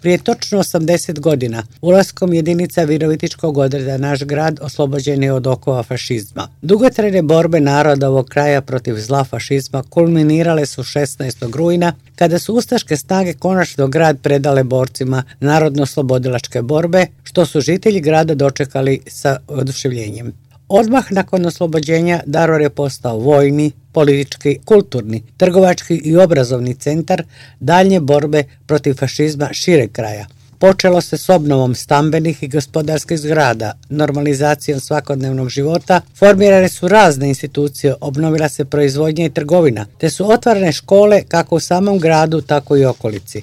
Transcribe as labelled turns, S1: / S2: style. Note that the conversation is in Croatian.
S1: Prije točno 80 godina, ulaskom jedinica Virovitičkog odreda naš grad oslobođen je od okova fašizma. Dugotrajne borbe naroda ovog kraja protiv zla fašizma kulminirale su 16. rujna, kada su ustaške snage konačno grad predale borcima narodno-oslobodilačke borbe, što su žitelji grada dočekali sa oduševljenjem. Odmah nakon oslobođenja Daruvor je postao vojni, politički, kulturni, trgovački i obrazovni centar daljnje borbe protiv fašizma šireg kraja. Počelo se s obnovom stambenih i gospodarskih zgrada, normalizacijom svakodnevnog života, formirane su razne institucije, obnovila se proizvodnja i trgovina, te su otvorene škole kako u samom gradu, tako i okolici.